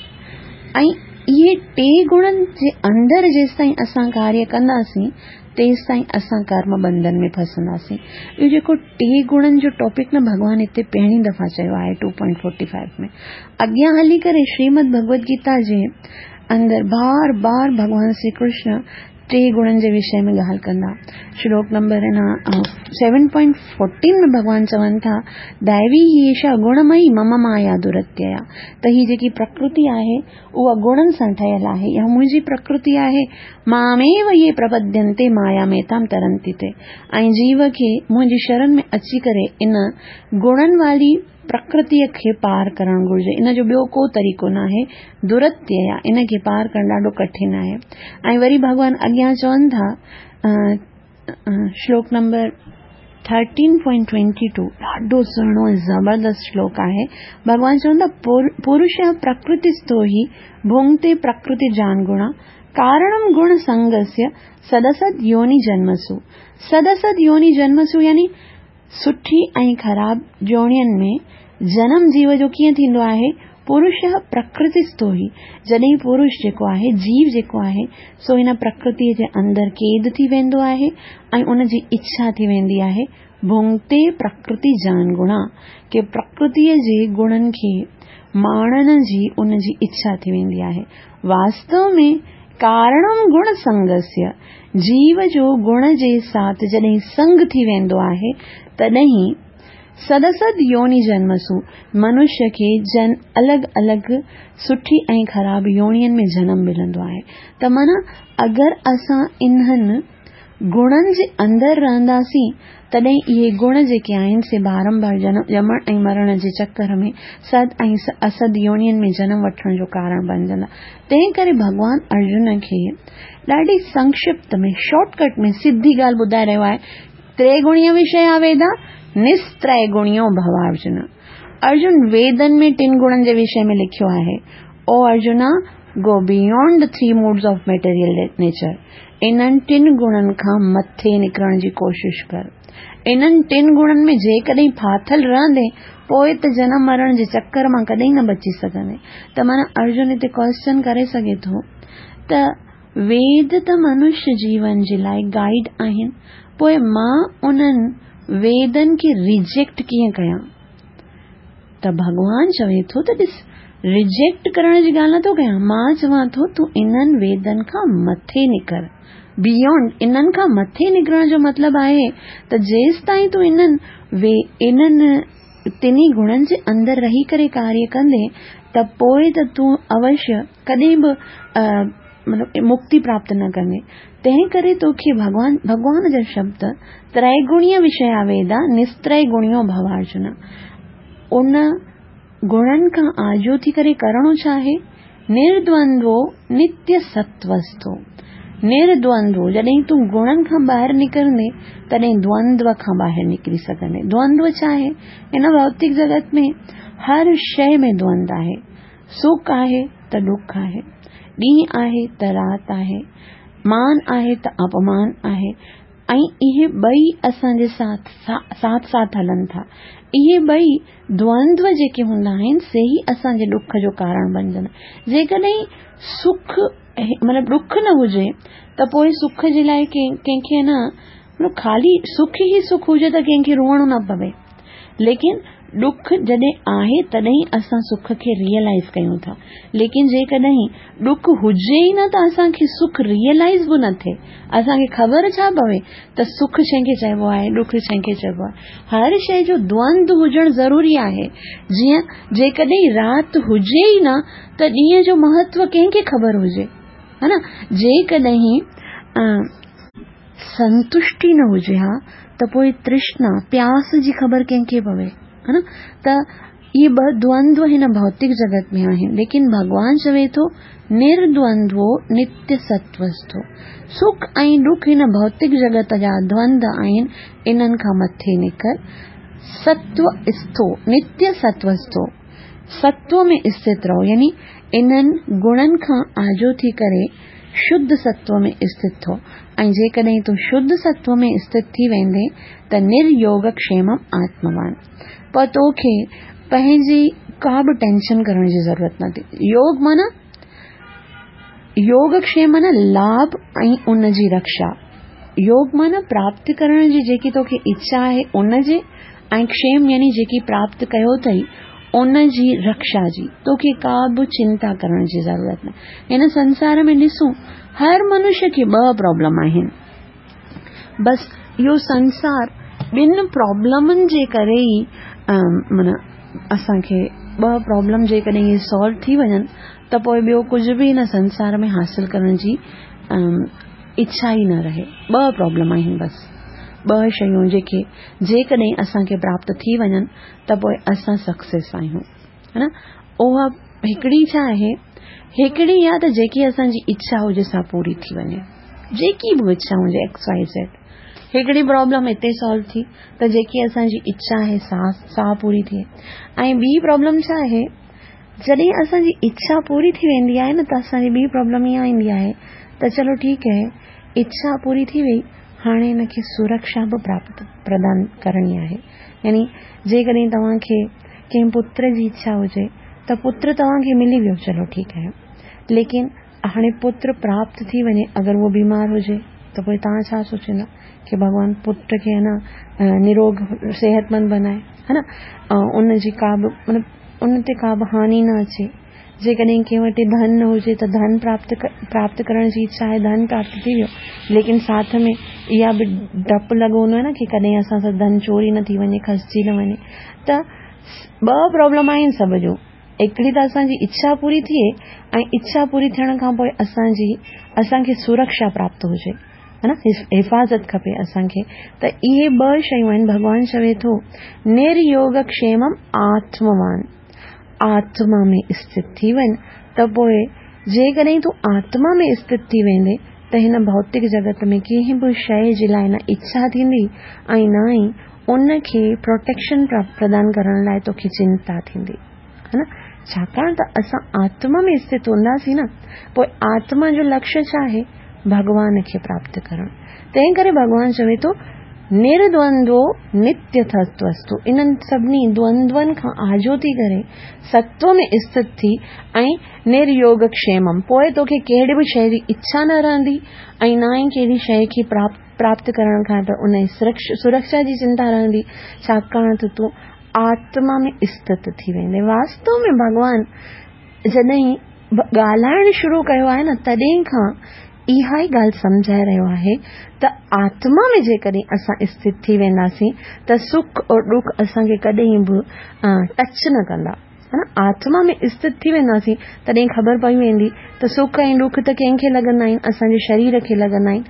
[SPEAKER 1] ۽ اهي ٽي گڻن جي اندر جيستائين اسان ڪاريه ڪنداسين تيستائين اسان ڪرم بنڌن ۾ ڦسنداسين. اهو جيڪو ٽي گڻن جو ٽاپڪ نه ڀڳوان هتي پهرين دفعا چيو آهي ٽو پوائنٽ فورٽي فائيو ۾. اڳيان هلي ڪري شريمد ڀڳوت گيتا جي اندر بار بار ڀڳوان شري ڪرشن ٽي گڻن جي وشي ۾ ڳالهه ڪندا. شلوڪ نمبر سيون پوائنٽ فورٽين ۾ ڀڳوان چون ٿا، دائوي هي ايشا گڻمئي مم مايا درتيا، ته هي جيڪي پرڪرتي آهي اها گڻن سان ٺهيل آهي، اها منهنجي پرڪرتي آهي، ماميو يي پرپدينتي مايا ميتام ترنتي تي، ۽ جيو کي منهنجي شرن ۾ اچي ڪري ان گڻن واري پرڪرتيء کي پار ڪرڻ گهرجي، ان جو ٻيو ڪو طريقو ناهي، درتيا، ان کي پار ڪرڻ ڏاڍو ڪٺن آهي. ۽ وري ڀڳوان اڳيان چون ٿا، شلوڪ نمبر 13.22 ڏاڍو سهڻو ۽ زبردست شلوڪ آهي. ڀڳوان چون ٿا، پرش پرڪرتيسٿو هي ڀونگتي پرڪرتي جان گڻا، ڪارڻم گڻ سنگسيه سدسد يوني جنمسو. سدسد يوني جنمسو يعني سٺي ۽ خراب جوڻين ۾ جنم جيو جو ڪيئن ٿيندو آهي؟ پرش پرڪرتيسٿو هي، جڏهن پرش جيڪو آهي، جيو جيڪو آهي، سو هن پرڪرتيء جي اندر قيد ٿي ويندو آهي ۽ ان جي اڇا ٿي ويندي آهي، ڀونگتي پرڪرتي جان گڻا، ڪي پرڪرتيء جي گڻن کي ماڻڻ جي ان جي اڇا ٿي ويندي آهي. واستو ۾ ڪارڻم گڻ سنگسيه، جيو جو گڻ جي ساٿ جڏهن سنگ ٿي ويندو آهي، تڏهن سدسد يوني جنمسو، منشيه کي جن الڳ الڳ سٺي ۽ خراب يونين ۾ جنم ملندو آهي. ته معنيٰ اگر اسان انهن گڻن جي اندر رهنداسين، تڏهن اهي گڻ جيڪي آهن سي بارنبار ڄمڻ ۽ مرڻ جي چڪر ۾ سد ۽ اسد يونين ۾ جنم وٺڻ جو ڪارڻ بڻجندا. تنهن ڪري ڀڳوان ارجن کي ڏاڍي سنڪشپت ۾، شارٽ ڪٽ ۾، سڌي ڳالهه ٻڌائي رهيو آهي، تريگڻيه وشيا ويدا، نستريگڻيو ڀو ارجن. ارجن ويدن ۾ ٽن گڻن جي وشي ۾ لکيو آهي، او Arjuna! Go beyond the three modes of material nature, انهن ٽن گڻن کان مٿي نڪرڻ جي ڪوشش ڪر. انهن ٽن گڻن ۾ جيڪڏهن ڦاٿل رهندين، پوء ته جنم مرڻ جي چڪر مان ڪڏهن نه بچي سگهندين. ته معنيٰ ارجن هتي ڪوئسچن ڪري سگهي ٿو ته ويد ته منش جيون جي لاء گائيڊ آهن، پوء مان انهن ويدن کي ريجيڪٽ ڪيئن ڪيان؟ ته ڀڳوان چوي ٿو ته ڏس، ريجيڪٽ ڪرڻ جي ڳالهه نٿو ڪيان، مان چوان ٿو تون انهن ويدن کان مٿي نڪر. بيونڊ، انهن کان مٿي نڪرڻ جو مطلب آهي ته جيستائين تون انهن انهن ٽنهي گڻن جي اندر رهي ڪري ڪاريه ڪندين ته پوء ته تون اوشيه ڪڏهن به مطلب مڪتي پراپت نه ڪندين. تنهن ڪري توکي ڀڳوان ڀڳوان جا شبد تريگڻيه وشيا ويدا نستريگڻيو ڀو ارجن. ان گڻن کان آجو ٿي ڪري ڪرڻو ڇا آهي؟ نردوندو نتيه ستوستو. نردوندو جڏهن تون گڻن کان ٻاهر نڪرندين تڏهن دوندو کان ٻاهر نڪري سگهندين. دوندو ڇا آهي؟ هن ڀوتڪ جڳت ۾ هر شيء ۾ دوند آهي. سک آهي ته ڏک آهي، ڏينهن آهي ته رات آهي، مان آهي ته اپمان آهي ۽ اهي ٻئي اسان جي ساٿ ساٿ ساٿ هلن ٿا. اهي ٻئي دوندو جيڪي هوندا آهن سي ئي اسان جي ڏک جو ڪارڻ بنجندا. جيڪڏهن سک مطلب ڏک نه هجي ته پوء سک جي لاء ڪنهن کي نه مطلب خالي سک ئي سک هجي ته ڪنهن کي روئڻو نه پوي. ليڪن ڏک جڏهن آهي تڏهن اسان سک کي ريئلائيز ڪيون ٿا. ليڪن جيڪڏهن ڏک هجي ئي نه ته اسان کي سک ريئلائيز به نه ٿئي. اسان کي خبر ڇا پوي ته سک ڇنهن کي چئبو آهي، ڏک ڇنهن کي چئبو آهي. هر شيء جو دوند هجڻ ضروري آهي. جيئن جيڪڏهن رات هجي ئي نه ته ڏينهن جو مهتو ڪنهن کي خبر هجي. ها نه؟ جيڪڏهن سنتشٽي نه هجي ها ته پوء ترشنا، پياس، جي خبر ڪنهن کي پوي؟ ها نه؟ ته اهي ٻه دوندو هن ڀوتڪ جڳت ۾ آهن، ليڪن ڀڳوان چوي ٿو نردوندو نتيه ستوستو. سک ۽ ڏک هن ڀوتڪ جڳت جا دوند آهن، انهن کان مٿي نڪر. ستو اسٿو، نتيه ستوستو، ستو ۾ اسٿت رهو، يعني انهن گڻن کان آجو ٿي ڪري شڌ ستو ۾ اسٿت ٿو ۽ جيڪڏهن تون شڌ ستو ۾ اسٿت ٿي ويندين ته نريوگڪشيمم آتموان. پوء توکي پنهنجي ڪا به ٽينشن ڪرڻ جي ضرورت نه ٿي. يوگ معنيٰ يوگڪشيم معنيٰ لاڀ ۽ ان جي رڪشا. يوگ معنيٰ پراپت ڪرڻ جي جيڪي توکي اڇا آهي ان جي ۽ ڪشيم يعني جيڪي پراپت ڪيو اٿئي ان جي رڪشا جي توکي ڪا به چنتا ڪرڻ جي ضرورت نه. هن سنسار ۾ ڏسون هر منش کي ٻه پرابلم آهن. بس اهو سنسار ٻن پرابلمن جي ڪري ئي معنيٰ اسان کي ٻه پرابلم جيڪڏهن اهي سالو ٿي وڃن ته پوء ٻيو ڪجهه به هن سنسار ۾ حاصل ڪرڻ جي اڇا ئي نه رهي. ٻه پرابلم آهن بس. ٻه شيون جيڪي جيڪڏهن اسان کي پراپت ٿي وڃن ته پوء اسان سڪسيس آهيون. ها نه؟ اها هڪڙي ڇا آهي؟ هڪڙي اها ته جيڪي اسان جي اڇا هجي سا پوري ٿي وڃي. جيڪي به اڇا هجي ايڪس وائي زيڊ. هڪڙي پرابلم هتي سالو ٿي ته جيڪي اسان جي اڇا آهي سا سا پوري ٿئي. ۽ ٻي پرابلم ڇا آهي؟ جڏهن اسان جي اڇا پوري ٿي ويندي آهي نه ته اسان جي ٻي پرابلم اها ايندي آهي ته چلو ٺيڪ آهي اڇا پوري ٿي وئي هاڻي هن کي سرڪشا به پراپت پردان ڪرڻي آهي يعني جيڪڏهن توهان کي ڪنهن پتر جي اڇا هجي ته پتر توهان کي ملي ويو چلو ٺيڪ آهي ليڪن هاڻي پتر پراپت ٿي وڃي اگر اهو بيمار هجي ته پوء توهان ڇا سوچيندا ڪي ڀڳوان پٽ کي نه نروڳ صحت مند بنائي ها نه ان جي ڪا به مطلب ان تي ڪا به هاني نه اچي جيڪڏهن ڪنهن وٽ ڌن نه هجي ته ڌن پراپت پراپت ڪرڻ جي اڇا آهي ڌن پراپت ٿي ويو ليڪن ساٿ ۾ اها به ڊپ لڳو هوندو آهي نه ڪي ڪڏهن اسان سان ڌن چوري نه ٿي وڃي کسجي نه وڃي ته ٻه پرابلم آهن سڀ جون هڪڙي ته اسان جي اڇا پوري ٿئي ۽ اڇا پوري ٿيڻ کان پوء اسان جي اسان کي سرڪشا پراپت هجي. ها نه حفاظت کپي اسان کي ته اهي ٻه شيون آهن ڀڳوان چوي ٿو نريوگ ڪشيمم آتموان آتما ۾ اسٿت ٿي وڃ ته پوء جيڪڏهن تون آتما ۾ اسٿت ٿي ويندي ته هن ڀوتڪ جڳت ۾ ڪنهن به شيء جي لاء نه اڇا ٿيندي ۽ نه ئي ان کي پروٽيڪشن پردان ڪرڻ لاء توکي چنتا ٿيندي ها نه ڇاڪاڻ ته اسان آتما ۾ اسٿت هونداسين نه پوء آتما جو لڪشيه ڇا آهي ڀڳوان کي پراپت ڪرڻ تنهن ڪري ڀڳوان چوي ٿو نردوندو نتيه تتوستو انهن سڀني دوندون کان آجو ٿي ڪري ستو ۾ اسٿت ٿي ۽ نريوگ ڪشيمم پوء توکي ڪهڙي به شيء جي اڇا نه رهندي ۽ نه ئي ڪهڙي شيء کي پراپت ڪرڻ کان پوء ان جي سرڪشا جي چنتا رهندي ڇاڪاڻ ته تون آتما ۾ اسٿت ٿي ويندي. واستو ۾ ڀڳوان جڏهن ڳالهائڻ شروع ڪيو آهي نه تڏهن کان اها ئي ڳالهه سمجهائي رهيو آهي ته آتما ۾ جيڪڏهن اسان اسٿت ٿي وينداسين ته سک اور ڏک اسان کي ڪڏهن به ٽچ نه ڪندا. ها نه آتما ۾ اسٿت ٿي وينداسين تڏهن خبر پئي ويندي ته سک ۽ ڏک ته ڪنهن کي لڳندا آهن اسان جي شرير کي لڳندا آهن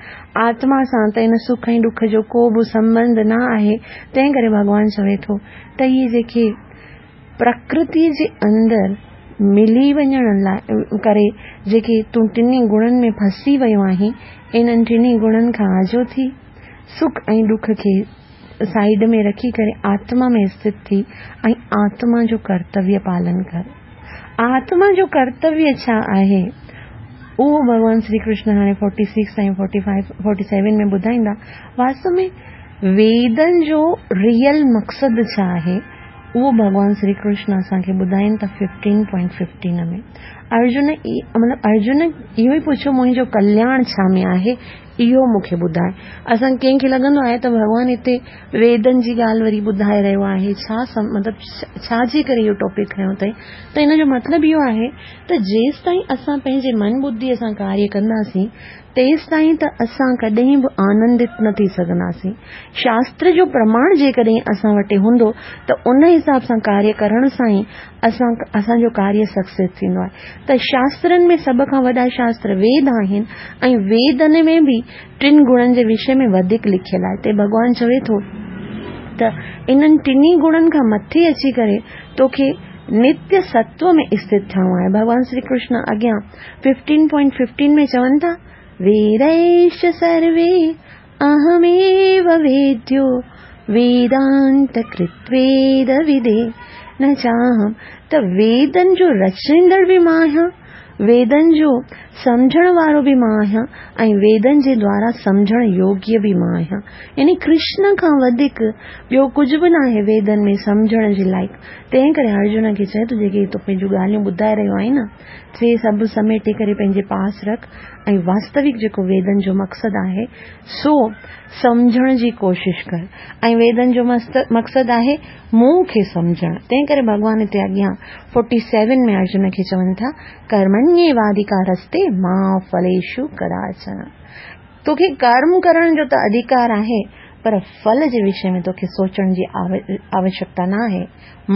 [SPEAKER 1] آتما سان ته ان سک ۽ ڏک جو ڪو به سنٻنڌ نه آهي تنهن ڪري ڀڳوان چوي ٿو ته اهي جيڪي پرڪرتي جي اندر ملي وڃڻ لاء ڪري جيڪي تون ٽنهي گڻن ۾ ڦسي ويو آهين انهن ٽنهي گڻن کان آجو ٿي سک ۽ ڏک کي سائيڊ ۾ رکي ڪري آتما ۾ اسٿت ٿي ۽ آتما جو ڪرتويه پالن ڪر. آتما جو ڪرتويه ڇا آهي؟ اهو ڀڳوان شري ڪرشن هاڻي forty six ۽ forty five, forty seven ۾ ٻڌائيندا. واستو ۾ ويدن جو ريئل مقصد ڇا آهي؟ اهو ڀڳوان شري ڪرشن اسان کي ٻڌائين ٿا ففٽين پوائنٽ ففٽين ۾. ارجن مطلب ارجن اهو ئي پڇيو منهنجو ڪلياڻ ڇا ۾ آهي؟ اهو مون کي ٻڌاء. اسان ڪنهن کي لڳندو آهي ته ڀڳوان هتي ويدن جي ڳالهه وري ٻڌائي رهيو آهي، ڇا مطلب ڇا جي ڪري اهو ٽاپڪ کنيو اٿئي؟ ته ان جو مطلب اهو آهي ته جيستائين اسان پنهنجي من ٻڌيء سان ڪاريه ڪنداسين، تيستائين ته اسان ڪڏهن به آنندت نه ٿي سگهنداسين. شاستر جو پرماڻ جيڪڏهن اسان وٽ هوندو ته ان حساب سان ڪاريه ڪرڻ سان ئي اسان اسان جو ڪاريه سڪسيس ٿيندو آهي ته شاسترن ۾ سڀ کان وڏا شاستر ويد آهن ۽ ويدن ۾ به ٽن گڻن جي وشي ۾ وڌيڪ لکيل آهي تي ڀڳوان چوي ٿو ته انهن ٽنهي گڻن کان مٿي اچي ڪري توکي نتيه ستو ۾ اسٿت ٿيڻو آهي ڀڳوان شري ڪرشن اڳيان 15.15 ۾ چون ٿا ويديش سروي اهميو ويديو ويدانت ڪرت ويد ودي نه چاهم ته ويدن جو رچيندڙ به مان آهيان، ويدن جو سمجهڻ وارو به مان آهيان ۽ ويدن جي دوارا سمجهڻ يوگيه به مان آهيان. يعني ڪرشن کان وڌيڪ ٻيو ڪجهه به ناهي ويدن ۾ سمجهڻ جي لائق. تنهن ڪري ارجن کي چئي ٿو جيڪي تون پنهنجون ڳالهيون ٻڌائي رهيو آهين نه سي سڀ سميٽي ڪري پنهنجي پاس رک ۽ واستوڪ جيڪو ويدن جو مقصد آهي سو سمجهڻ جي ڪوشش ڪر ۽ ويدن جو مقصد آهي مون کي سمجهڻ تنهن ڪري ڀڳوان هتي اڳيان فورٽي سيون ۾ ارجن کي چون ٿا ڪرمڻييوادڪارستي ما ڦليشو ڪداچن توکي ڪرم ڪرڻ جو ته اڌيڪار آهي پر ڦل جي وشي ۾ توکي سوچڻ جي آوشڪتا نه آهي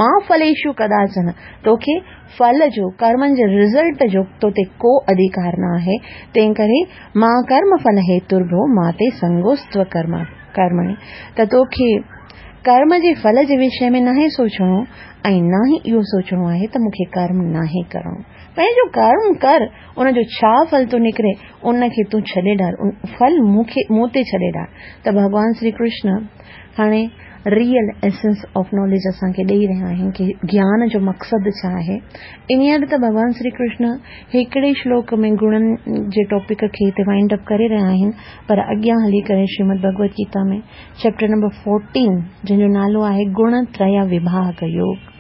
[SPEAKER 1] ما ڦليشو ڪداچن توکي ڦل جو، ڪرمن جي رزلٽ جو تو تي ڪو اڌيڪار نه آهي، تنهن ڪري ما ڪرم ڦل هيترڀو ما تي سنگوستو ڪرم ڪرمڻي ته توکي ڪرم جي ڦل جي وشي ۾ ناهي سوچڻو ۽ نه ئي اهو سوچڻو آهي ته مون کي ڪرم ناهي ڪرڻو. پنهنجو ڪرم ڪر، ان جو ڇا ڦل ٿو نڪري، ان کي تون ڇڏي ڏار، ڦل مون کي مون تي ڇڏي ڏار ته ڀڳوان شري ڪرشن هاڻي ريئل ايسنس آف ناليج اسان کي ڏئي رهيا آهن ڪي گيان جو مقصد ڇا آهي. انهيء ته ڀڳوان شري ڪرشن هڪڙي شلوڪ ۾ گڻن جي ٽاپڪ کي هتي وائنڊ اپ ڪري رهيا آهن پر اڳيان هلي ڪري Shrimad Bhagwat Gita ۾ chapter number fourteen جنهن جو نالو آهي گڻ تريه وڀاڳ يوگ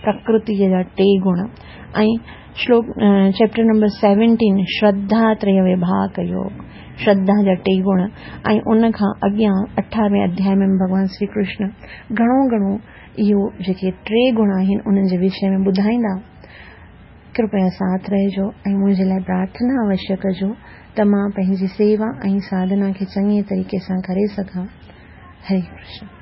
[SPEAKER 1] پرڪرتي جا ٽي گڻ ۽ شلوڪ چيپٽر نمبر سيونٽين شرڌا تريه وڀاڳ يوگ شرڌا جا ٽي گڻ ۽ ان کان اڳيان اٺاروين اڌياء ۾ ڀڳوان شري ڪرشن گهڻو گهڻو اهو جيڪي ٽي گڻ آهن انهن جي وشي ۾ ٻڌائيندا ڪرپيا ساٿ رهجو ۽ منهنجي لاء پرارٿنا اوشيه ڪجو ته مان پنهنجي سيوا ۽ ساڌنا کي چڱي طريقي سان ڪري سگهان هري ڪرشن.